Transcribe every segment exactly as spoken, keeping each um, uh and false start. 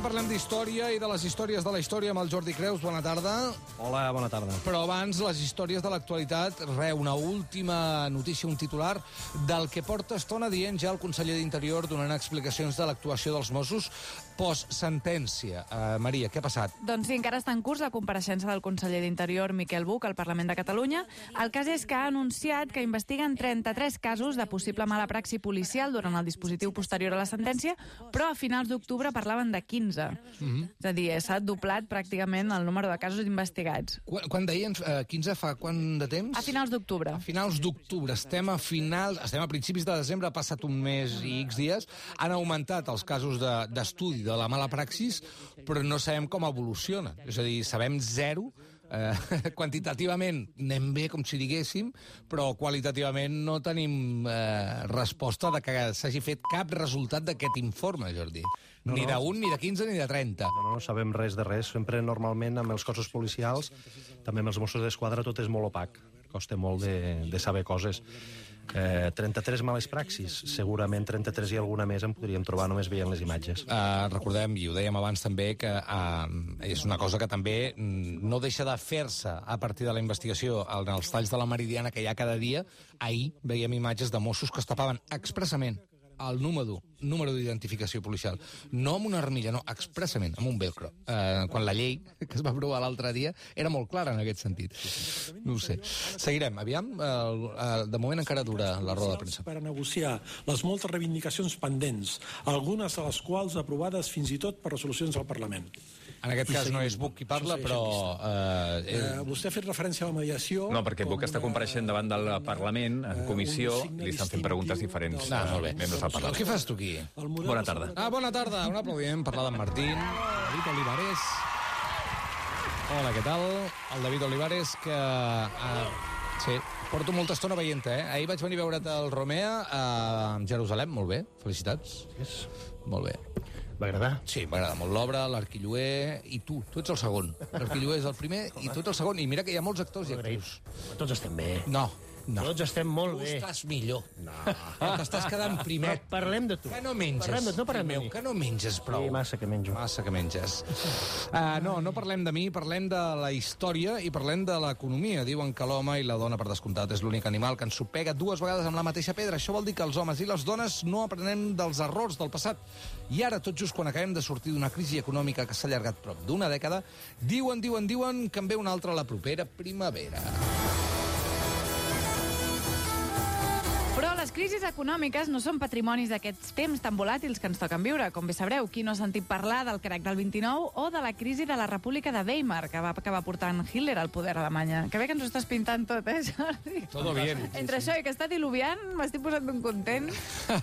parlem d'història i de les històries de la història amb el Jordi Creus. Bona tarda. Hola, bona tarda. Però abans, les històries de l'actualitat. Re, una última notícia, un titular del que porta estona dient ja el conseller d'Interior donant explicacions de l'actuació dels Mossos post-sentència. Uh, Maria, què ha passat? Doncs sí, encara està en curs la compareixença del conseller d'Interior, Miquel Buch, al Parlament de Catalunya. El cas és que ha anunciat que investiguen trenta-tres casos de possible mala praxi policial durant el dispositiu posterior a la sentència, però a finals d'octubre parlaven de quinze. Mm-hmm. És a dir, s'ha doblat pràcticament el número de casos investigats. Quan, quan deien uh, quinze, fa quant de temps? A finals d'octubre. A finals d'octubre. Estem a finals, estem a principis de desembre, ha passat un mes i X dies. Han augmentat els casos d'estudi de, de la mala praxis, però no sabem com evoluciona. És a dir, sabem zero. Eh, quantitativament anem bé, com si diguéssim, però qualitativament no tenim eh, resposta de que s'hagi fet cap resultat d'aquest informe, Jordi. No, ni no. d'un, ni de quinze, ni de trenta. No, no, no sabem res de res. Sempre, normalment, amb els cossos policials, també amb els Mossos d'Esquadra, tot és molt opac. Costa molt de, de saber coses. Eh, trenta-tres males praxis, segurament trenta-tres i alguna més en podríem trobar només veient les imatges. Uh, recordem, i ho dèiem abans també, que uh, és una cosa que també no deixa de fer-se a partir de la investigació en els talls de la Meridiana que hi ha cada dia. Ahir veiem imatges de Mossos que es tapaven expressament el número, número d'identificació policial. No amb una armilla, no, expressament, amb un velcro. Eh, quan la llei, que es va aprovar l'altre dia, era molt clara en aquest sentit. No ho sé. Seguirem, aviam. Eh, eh, de moment encara dura la roda de premsa. Per a negociar les moltes reivindicacions pendents, algunes de les quals aprovades fins i tot per resolucions del Parlament. En aquest cas no és Buch qui parla, però... Eh, eh, vostè ha fet referència a la mediació... No, perquè Buch està compareixent davant del Parlament, en comissió, li estan fent preguntes diferents. Ah, molt bé. Membres del Parlament. Què fas tu aquí? Bona tarda. Ah, bona tarda. Un aplaudiment per la d'en Martín, David Olivares. Hola, què tal? El David Olivares, que... Uh, sí, porto molta estona veient-te, eh? Ahir vaig venir a veure't al Romea a Jerusalem. Molt bé, felicitats. Yes. Molt bé. Va agradar? Sí, m'agrada molt l'obra, l'Arquilloer i tu. Tu ets el segon. L'Arquilloer és el primer i tu ets el segon. I mira que hi ha molts actors i actrius. Tots estem bé. No. No. Tots estem molt tu bé. Tu estàs millor. No. T'estàs quedant primer. Però parlem de tu. Que no menges. Parlem de tu, no parlem meu, de mi. que no menges prou. Sí, massa que menjo. Massa que menges. Uh, no, no parlem de mi, parlem de la història i parlem de l'economia. Diuen que l'home i la dona, per descomptat, és l'únic animal que ens supega dues vegades amb la mateixa pedra. Això vol dir que els homes i les dones no aprenem dels errors del passat. I ara, tot just quan acabem de sortir d'una crisi econòmica que s'ha allargat prop d'una dècada, diuen, diuen, diuen que en ve una altra la propera primavera. Però les crisis econòmiques no són patrimonis d'aquests temps tan volàtils que ens toquen viure. Com bé sabreu, qui no ha sentit parlar del crac del vint-i-nou o de la crisi de la República de Weimar, que va acabar portant Hitler al poder a Alemanya. Que bé que ens ho estàs pintant tot, eh, Jordi? Todo bien. Entre això i que està diluviant, m'estic posant un content.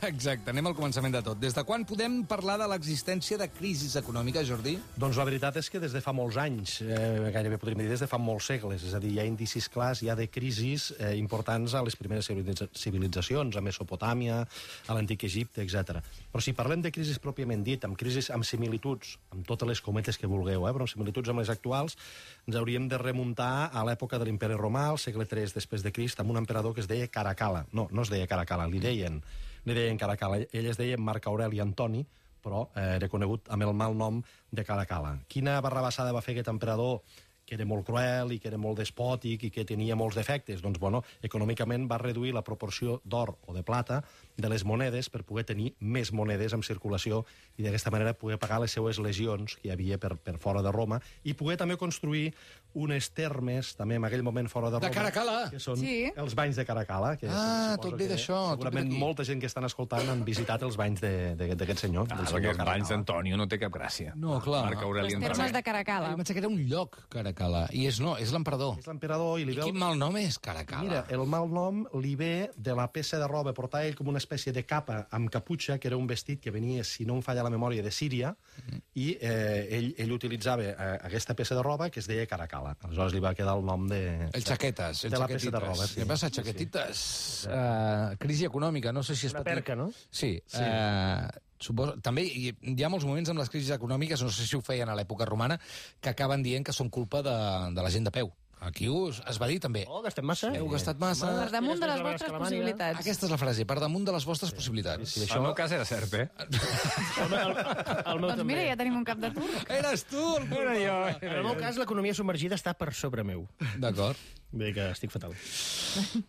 Exacte, anem al començament de tot. Des de quan podem parlar de l'existència de crisis econòmiques, Jordi? Doncs la veritat és que des de fa molts anys, eh, gairebé podríem dir des de fa molts segles, és a dir, hi ha indicis clars, hi ha de crisis eh, importants a les primeres civilitzacions, a Mesopotàmia, a l'antic Egipte, etcètera. Però si parlem de crisis pròpiament dit, amb crisis amb similituds, amb totes les cometes que vulgueu, eh, però amb similituds amb les actuals, ens hauríem de remuntar a l'època de l'imperi romà, al segle tres després de Crist, amb un emperador que es deia Caracalla. No, no es deia Caracalla, li deien, li deien Caracalla. Ell es deia Marc Aureli Antoni, però eh, era conegut amb el mal nom de Caracalla. Quina barrabassada va fer aquest emperador, que era molt cruel i que era molt despòtic i que tenia molts defectes? Doncs, bueno, econòmicament va reduir la proporció d'or o de plata de les monedes per poder tenir més monedes en circulació i d'aquesta manera poder pagar les seues legions que hi havia per, per fora de Roma i poder també construir unes termes, també en aquell moment fora de Roma. De Caracalla! Que són sí. els banys de Caracalla. Que ah, tot ve d'això. Segurament molta gent que estan escoltant han visitat els banys d'aquest senyor. Ah, perquè els banys d'Antonio no té cap gràcia. No, clar. Marc Aureli Els termes de Caracalla. Jo pensava que era un lloc, Caracalla. I és no, és l'emperador. És l'emperador i li I ve... quin mal nom és Caracalla? Mira, el mal nom li ve de la peça de roba. Portava ell com una espècie de capa amb caputxa, que era un vestit que venia, si no em falla la memòria, de Síria, mm. i eh, ell, ell utilitzava eh, aquesta peça de roba que es deia Caracalla. Aleshores li va quedar el nom de... El xaquetes, el de la peça de roba. Sí. Què passa, xaquetites? Sí. Uh, crisi econòmica, no sé si es Una pot dir... perca, no? Sí. Sí. Uh, suposo, també hi, hi ha molts moments amb les crisis econòmiques, no sé si ho feien a l'època romana, que acaben dient que són culpa de, de la gent de peu. Aquí us, es va dir també. Oh, gastem massa. Heu gastat massa. Per damunt de les Després de vostres la Alemanya. possibilitats. Aquesta és la frase, per damunt de les vostres possibilitats. Sí, això... El meu cas era cert, eh? El, el, el meu Doncs també. mira, ja tenim un cap de turc. Eres tu! El Era jo. En el meu cas, l'economia submergida està per sobre meu. D'acord. Vull dir que estic fatal.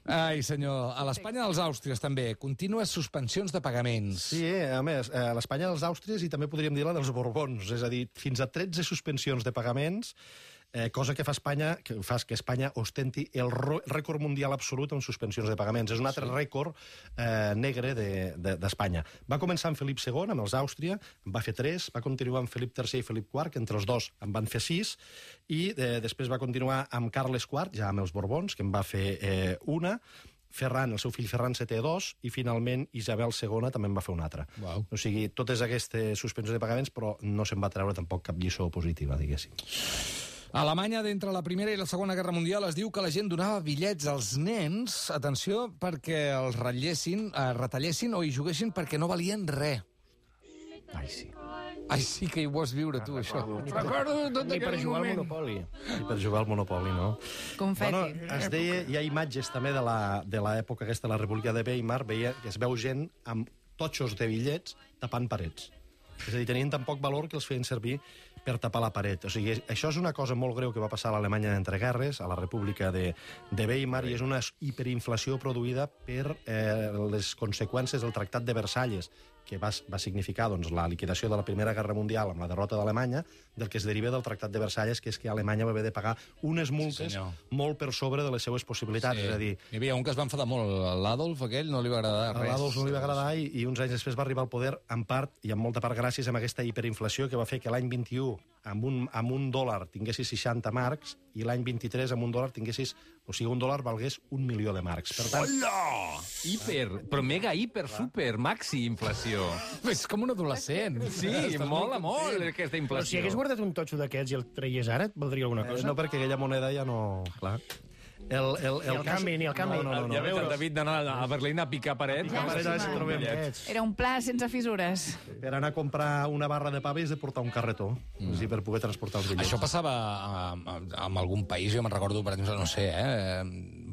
Ai, senyor, a l'Espanya dels Àustries també, contínues suspensions de pagaments. Sí, a més, a l'Espanya dels Àustries i també podríem dir la dels Borbons, és a dir, fins a tretze suspensions de pagaments, eh, cosa que fa Espanya, que fa que Espanya ostenti el rècord mundial absolut en suspensions de pagaments. És un altre sí. rècord eh, negre d'Espanya. De, de, va començar amb Felip segon, amb els Àustria, en va fer tres, va continuar amb Felip tercer i Felip quart, que entre els dos en van fer sis, i eh, després va continuar amb Carles quart, ja amb els Borbons, que en va fer eh, una, Ferran, el seu fill Ferran setè, dos, i finalment Isabel segona també en va fer una altra. Uau. O sigui, totes aquestes suspensions de pagaments, però no se'n va treure tampoc cap lliçó positiva, diguéssim. A Alemanya, d'entre la Primera i la Segona Guerra Mundial, es diu que la gent donava bitllets als nens, atenció, perquè els ratllessin, eh, retallessin o hi juguessin perquè no valien res. Ai, sí. Ai, sí que hi vols viure, tu, això. Recordo tot Ni per aquell jugar al moment. Monopoli. I per jugar al Monopoli, no? Confeti. Bueno, es deia, hi ha imatges també de la- de l'època aquesta, de la República de Weimar, veia que es veu gent amb totxos de bitllets tapant parets. És a dir, tenien tan poc valor que els feien servir per tapar la paret. O sigui, això és una cosa molt greu que va passar a l'Alemanya d'entreguerres, a la República de, de Weimar, i és una hiperinflació produïda per eh, les conseqüències del Tractat de Versalles, que va, va significar doncs, la liquidació de la Primera Guerra Mundial amb la derrota d'Alemanya, del que es deriva del Tractat de Versalles, que és que Alemanya va haver de pagar unes multes Sí, molt per sobre de les seues possibilitats. Sí. És a dir, Hi havia un que es va enfadar molt, l'Adolf, aquell, no li va agradar a res. l'Adolf no li va agradar i, i uns anys després va arribar al poder en part, i en molta part gràcies a aquesta hiperinflació que va fer que l'any vint-i-u amb un, amb un dòlar tinguessis seixanta marcs i l'any vint-i-tres amb un dòlar tinguessis... O sigui, un dòlar valgués un milió de marcs. Per tant, Hola! Hiper, però mega, hiper, super, maxi inflació. És com un adolescent. Sí, mola molt aquesta Però si inflació. hagués guardat un totxo d'aquests i el traies ara, et valdria alguna eh, cosa? no perquè aquella moneda ja no... Clar. El, el, Ni el canvi, ni el canvi. No, no, no, Ja no. veus, el David d'anar a Berlín a picar parets. picar parets, Home, si trobem. Aquests. Era un pla sense fissures. Per anar a comprar una barra de pa és de portar un carretó, mm. és a dir, per poder transportar els bitllets. Això passava a, a, a algun país, jo me'n recordo, per exemple, no sé, eh,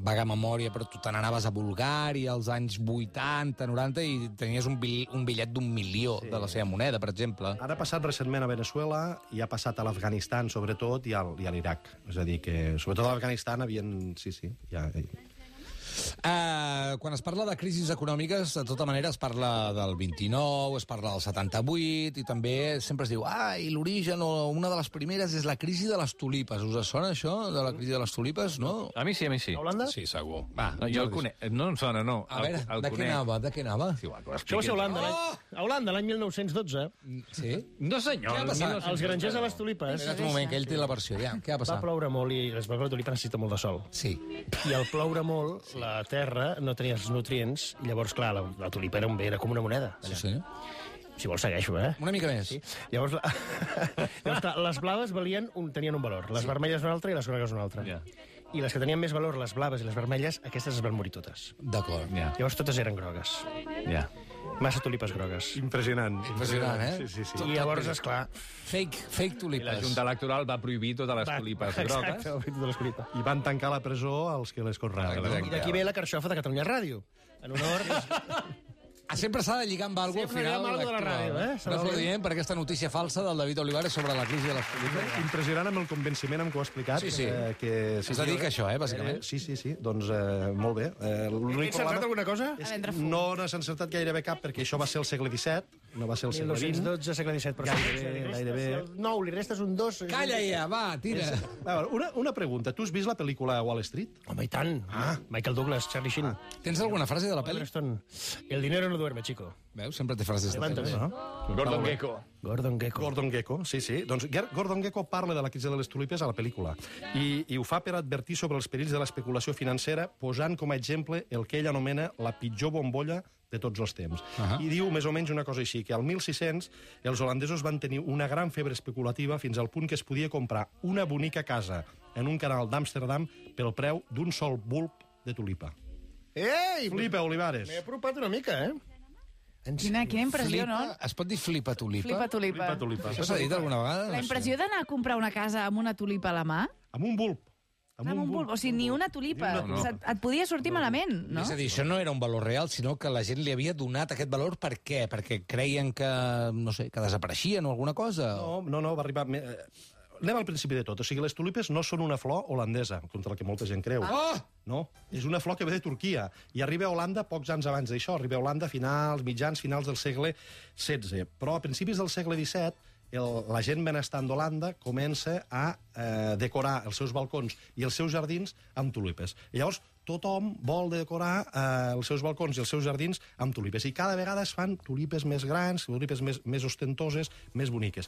vaga memòria, però tu te n'anaves a Bulgària als anys vuitanta, noranta, i tenies un, bill, un bitllet d'un milió sí. de la seva moneda, per exemple. Ara ha passat recentment a Venezuela i ha passat a l'Afganistan, sobretot, i, al, i a l'Iraq. És a dir, que sobretot a l'Afganistan havien... Sí, sí, ja... Uh, quan es parla de crisis econòmiques, de tota manera es parla del vint-i-nou, es parla del setanta-vuit, i també sempre es diu, ah, i l'origen, o una de les primeres és la crisi de les tulipes. Us sona això, de la crisi de les tulipes, no? A mi sí, a mi sí. A Holanda? Sí, segur. Va, No, jo el conec. No em sona, no. A veure, el, el de què conec. anava, de què anava? Sí, va, que ho Això va ser a Holanda, Oh! l'any- a Holanda, l'any mil nou-cents dotze. Sí? No, senyor. Què ha el passat? mil nou-cents Els grangers dotze a les tulipes. Espera't un moment, que ell té la versió, ja. Què va Va passar? ploure molt i les la tulipa necessita molt de sol. Sí. I al ploure molt, la terra no tenia els nutrients, i llavors, clar, la, la tulipa era, un bé, era com una moneda. Sí, sí. Si vols, segueixo, eh? Una mica més. Sí. Llavors, la... Llavors clar, les blaves valien un, tenien un valor, les vermelles un altre i les grogues un altre. Ja. I les que tenien més valor, les blaves i les vermelles, aquestes es van morir totes. D'acord. Ja, Llavors totes eren grogues. ja. Massa tulipes grogues. Impressionant. Impressionant, eh? Sí, sí, sí. I llavors, esclar... Fake, fake I tulipes. la Junta Electoral va prohibir totes les va- tulipes Exacte, grogues. va prohibir totes les tulipes. I van tancar la presó als que les conreaven. Exacte. I d'aquí ve la carxofa de Catalunya Ràdio. En honor... Ah, sempre s'ha de lligar amb alguna cosa al Sempre final. hi ha alguna de la electoral, ràdio, eh? S'ha de No fer. ho diem per aquesta notícia falsa del David Olivares sobre la crisi de les tulipes. Impressionant amb el convenciment amb què ho ha explicat. Sí, sí. Eh, que, Es dedica a això, eh, bàsicament. Eh, sí, sí, sí. Doncs eh, molt bé. Eh, He L'únic encertat problema alguna cosa? és que no n'has encertat gairebé cap, perquè això va ser el segle disset, no va ser el mil segle nou-cents vint. dotze, segle disset, però Gairebé, sí, li restes gairebé. el nou, li restes un dos... Calla ja, va, tira. A veure, una, una pregunta. Tu has vist la pel·lícula Wall Street? Home, i tant. Ah. Michael Douglas, Charlie Sheen. Tens alguna frase de la pel·li? Oliver Stone. El dinero no duerme, chico. Veus? Sempre té frases de Levanta, pel·lis. eh? Gordon Gekko. Gordon Gekko. Gordon Gekko, sí, sí. Doncs Ger- Gordon Gekko parla de la crisi de les tulipes a la pel·lícula i, i ho fa per advertir sobre els perills de l'especulació financera, posant com a exemple el que ell anomena la pitjor bombolla de tots els temps. Uh -huh. I diu més o menys una cosa així, que al mil sis-cents els holandesos van tenir una gran febre especulativa fins al punt que es podia comprar una bonica casa en un canal d'Amsterdam pel preu d'un sol bulb de tulipa. Ei! Flipa, Olivares. M'he apropat una mica, eh? En Quina, quina impressió, Flipa, no? es pot dir flipa tulipa? Flipa tulipa. Flipa tulipa. Això s'ha dit alguna vegada? La impressió d'anar a comprar una casa amb una tulipa a la mà? Amb un bulb. Amb un bulb. O sigui, ni una tulipa. Ni una tulipa. Et, et podia sortir malament, no? És a dir, això no era un valor real, sinó que la gent li havia donat aquest valor per què? Perquè creien que, no sé, que desapareixien o alguna cosa? No, no, no, va arribar... me- eh, Anem al principi de tot. O sigui, les tulipes no són una flor holandesa, contra el que molta gent creu. Ah! No, és una flor que ve de Turquia. I arriba a Holanda pocs anys abans d'això. Arriba a Holanda a finals, mitjans, finals del segle setze. Però a principis del segle disset, el, la gent benestant d'Holanda comença a eh, decorar els seus balcons i els seus jardins amb tulipes. I llavors tothom vol decorar eh, els seus balcons i els seus jardins amb tulipes. I cada vegada es fan tulipes més grans, tulipes més, més ostentoses, més boniques.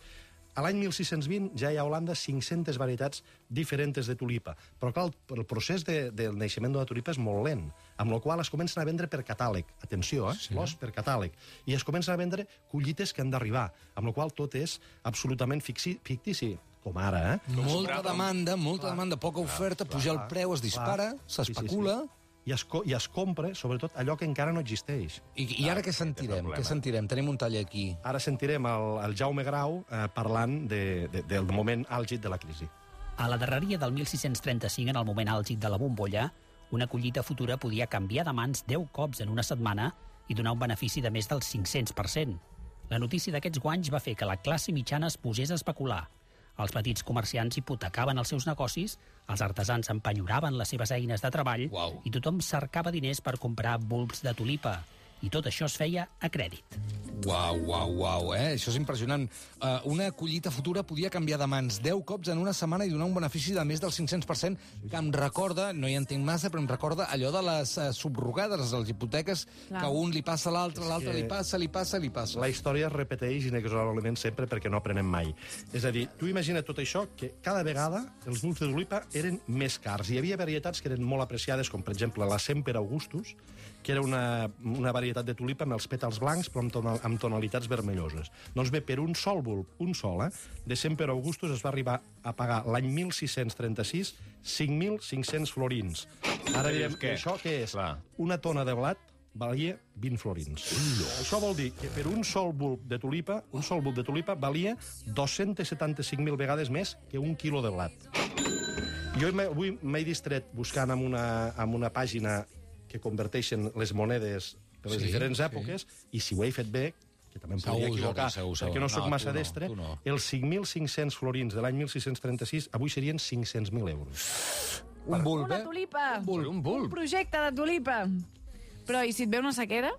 A l'any mil sis-cents vint ja hi ha a Holanda cinc-centes varietats diferents de tulipa. Però, clar, el, el procés de, del naixement de la tulipa és molt lent, amb la qual es comencen a vendre per catàleg. Atenció, eh? Sí. Flors per catàleg. I es comencen a vendre collites que han d'arribar, amb la qual tot és absolutament fixi, fictici, com ara, eh? Molta demanda, molta demanda, poca oferta, puja el preu, es dispara, s'especula... Sí, sí, sí. I es, I es compra, sobretot, allò que encara no existeix. I, I ara què sentirem? Què sentirem? Tenim un tall aquí. Ara sentirem el, el Jaume Grau eh, parlant de, de, del moment àlgid de la crisi. A la darreria del mil sis-cents trenta-cinc, en el moment àlgid de la bombolla, una collita futura podia canviar de mans deu cops en una setmana i donar un benefici de més del cinc-cents per cent. La notícia d'aquests guanys va fer que la classe mitjana es posés a especular. Els petits comerciants hipotecaven els seus negocis, els artesans empenyoraven les seves eines de treball Uau. i tothom cercava diners per comprar bulbs de tulipa. I tot això es feia a crèdit. Uau, uau, uau, eh? Això és impressionant. Uh, una collita futura podia canviar de mans deu cops en una setmana i donar un benefici de més del cinc-cents per cent, que em recorda, no hi entenc massa, però em recorda allò de les uh, subrogades, les hipoteques, Clar. que un li passa a l'altre, l'altre que li passa, li passa, li passa. La història es repeteix inexorablement sempre perquè no aprenem mai. És a dir, tu imagina tot això, que cada vegada els bulbs de tulipa eren més cars. Hi havia varietats que eren molt apreciades, com per exemple la Semper Augustus, que era una, una varietat de tulipa amb els pètals blancs però amb, tonal, amb tonalitats vermelloses. Doncs bé, per un sol bulb, un sol, eh, de Semper Augustus es va arribar a pagar l'any mil sis-cents trenta-sis cinc mil cinc-cents florins. Ara direm, què? això què és? Clar. Una tona de blat valia vint florins. Això vol dir que per un sol bulb de tulipa, un sol bulb de tulipa valia dos-cents setanta-cinc mil vegades més que un quilo de blat. Jo avui m'he distret buscant en una, en una pàgina que converteixen les monedes de les Sí, diferents sí. èpoques, i si ho he fet bé, que també em Segur, podria equivocar, Jordi, segur, segur. perquè no sóc No, massa tu no, destre, tu no. els cinc mil cinc-cents florins de l'any mil sis-cents trenta-sis avui serien cinc-cents mil euros. Un bulb, Una eh? tulipa! Un bulb, un bulb. Un projecte de tulipa! Però i si et ve una sequera?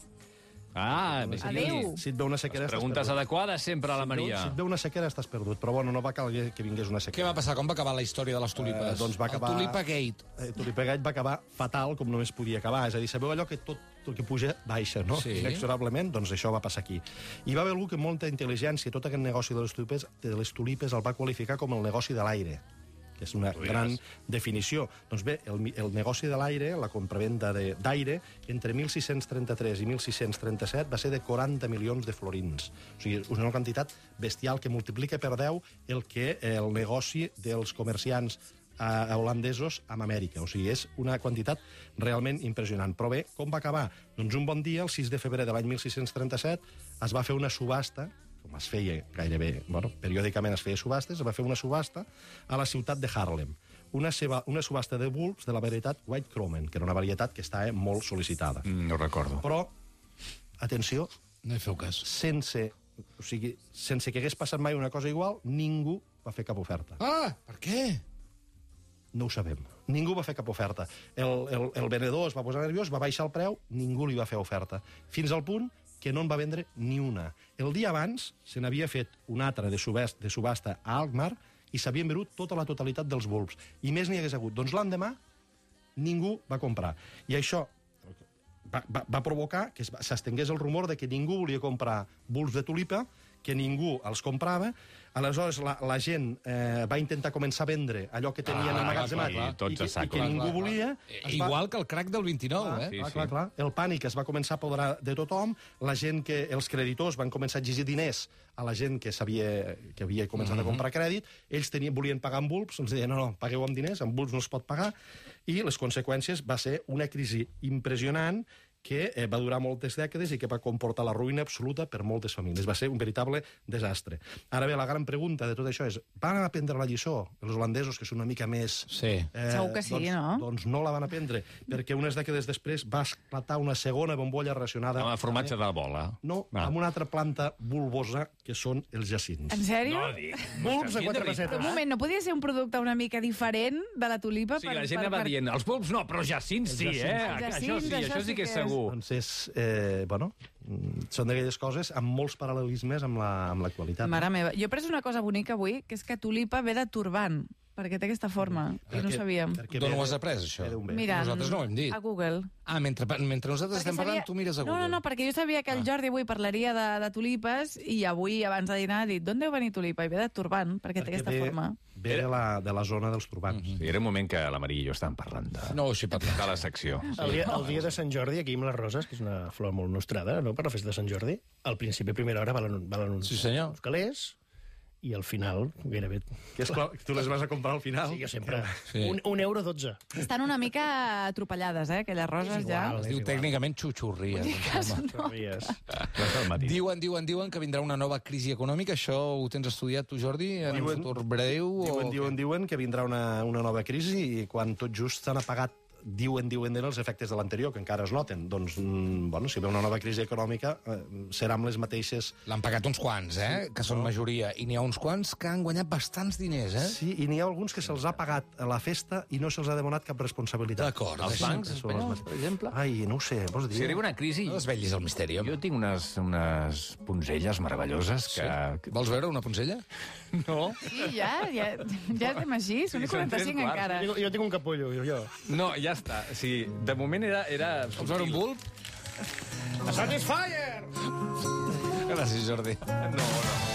Ah, més Adéu. Si et ve una sequera, estàs Preguntes perdut. adequades sempre a la Maria. Si et ve una sequera, estàs perdut. Però bueno, no va calguer que vingués una Què sequera. va passar? Com va acabar la història de les tulipes? Eh, doncs va acabar... El Tulipa Gate. Eh, Tulipa Gate va acabar fatal, com només podia acabar. És a dir, sabeu allò que tot el que puja baixa, no? Sí. Inexorablement, doncs això va passar aquí. I va haver algú que amb molta intel·ligència tot aquest negoci de les tulipes, de les tulipes el va qualificar com el negoci de l'aire, que és una gran definició. Doncs bé, el, el negoci de l'aire, la compravenda de- d'aire, entre mil sis-cents trenta-tres i mil sis-cents trenta-set va ser de quaranta milions de florins. O sigui, és una quantitat bestial que multiplica per deu el que el negoci dels comerciants eh, holandesos amb Amèrica. O sigui, és una quantitat realment impressionant. Però bé, com va acabar? Doncs un bon dia, el sis de febrer de l'any mil sis-cents trenta-set, es va fer una subhasta, com es feia gairebé, bueno, periòdicament es feia subhastes, es va fer una subhasta a la ciutat de Haarlem. Una, seva, una subhasta de bulbs de la varietat White Cromen, que era una varietat que estava molt sol·licitada. Mm, no ho recordo. Però, atenció, No hi feu cas. sense, o sigui, sense que hagués passat mai una cosa igual, ningú va fer cap oferta. Ah, per què? No ho sabem. Ningú va fer cap oferta. El, el, el venedor es va posar nerviós, va baixar el preu, ningú li va fer oferta. Fins al punt que no en va vendre ni una. El dia abans se n'havia fet una altra de, subest, de subhasta a Alkmaar i s'havien venut tota la totalitat dels bulbs. I més n'hi hagués hagut. Doncs l'endemà ningú va comprar. I això va, va, va provocar que s'estengués el rumor de que ningú volia comprar bulbs de tulipa, que ningú els comprava. Aleshores, la, la gent eh, va intentar començar a vendre allò que tenien Ah, emmagatzemats clar, clar, tots i, que, a sac, i que clar, ningú clar, volia. Eh, Es va- Igual que el crack del vint-i-nou, Clar, eh? Sí, clar, sí. clar, clar. El pànic es va començar a apoderar de tothom, la gent que, els creditors van començar a exigir diners a la gent que, sabia, que havia començat a comprar crèdit, ells tenien, volien pagar amb bulbs, els deien, no, no, pagueu amb diners, amb bulbs no es pot pagar, i les conseqüències va ser una crisi impressionant que eh, va durar moltes dècades i que va comportar la ruïna absoluta per moltes famílies. Va ser un veritable desastre. Ara bé, la gran pregunta de tot això és, van aprendre la lliçó els holandesos, que són una mica més... Sí. Eh, Segur que sí, doncs, no? Doncs no la van aprendre, perquè unes dècades després va esclatar una segona bombolla relacionada... Amb el formatge de la bola. No, Ah. amb una altra planta bulbosa, que són els jacints. En sèrio? No, dic. Bulbs a quatre Però pessetes. un moment, no podia ser un producte una mica diferent de la tulipa? O sigui, la gent anava dient, els bulbs no, però jacins sí, eh? Els Això jacints, sí, això això sí sí que que és és. segur. Doncs és, eh, bueno, mm, són d'aquelles coses amb molts paral·lelismes amb la- amb l'actualitat. Mare meva, jo he pres una cosa bonica avui, que és que tulipa ve de turbant, perquè té aquesta forma, i no ho sabíem. Perquè D'on ve ho has de- après, això? ve d'un bé. Mira, Nosaltres no ho hem dit. a Google. Ah, mentre, mentre nosaltres Perquè estem parlant, sabia- tu mires a No, Google. no, no, perquè jo sabia que el Jordi avui parlaria de, de tulipes i avui, abans de dinar, ha dit d'on deu venir tulipa? I ve de turbant, perquè, té Perquè aquesta ve, forma. ve de la, de la zona dels turbants. Sí, era un moment que la Maria i jo estàvem parlant de, No, així parlant. de la secció. El dia, el dia de Sant Jordi, aquí amb les roses, que és una flor molt nostrada, no?, per la festa de Sant Jordi, al principi, a primera hora, valen, valen uns, Sí, senyor. uns calés, i al final, gairebé... Que és clar, tu les vas a comprar al final. Sí, jo sempre. Sí. Un, un euro dotze. Estan una mica atropellades, eh, aquelles roses, És ja. igual. Es diu igual. tècnicament xuxurria. Sabies. No al matí. Diuen, diuen, diuen que vindrà una nova crisi econòmica. Això ho tens estudiat tu, Jordi, en un Diuen- futur breu? Diuen, o... diuen, diuen que vindrà una, una nova crisi i quan tot just s'han apagat diuen, diuen els efectes de l'anterior, que encara es noten. Doncs, mm, bueno, si ve una nova crisi econòmica, eh, serà amb les mateixes... L'han pagat uns quants, eh? Que són majoria. I n'hi ha uns quants que han guanyat bastants diners, eh? Sí, i n'hi ha alguns que se'ls ha pagat a la festa i no se'ls ha demanat cap responsabilitat. D'acord. Els deixa- bancs espanyols, per exemple? Ai, no ho sé, vols dir? Si arriba una crisi... No desvetllis el misteri, home. Jo tinc unes, unes punzelles meravelloses que... Sí. Vols veure una poncella? No, Sí, ja, ja, ja estem així, són i Sí, són tres quaranta-cinc quarts. encara. Jo, jo tinc un capullo, jo. jo. no, ja està. O sigui, de moment era... era... Vols veure un bulb? Satisfyer! Gràcies, Jordi. No, no.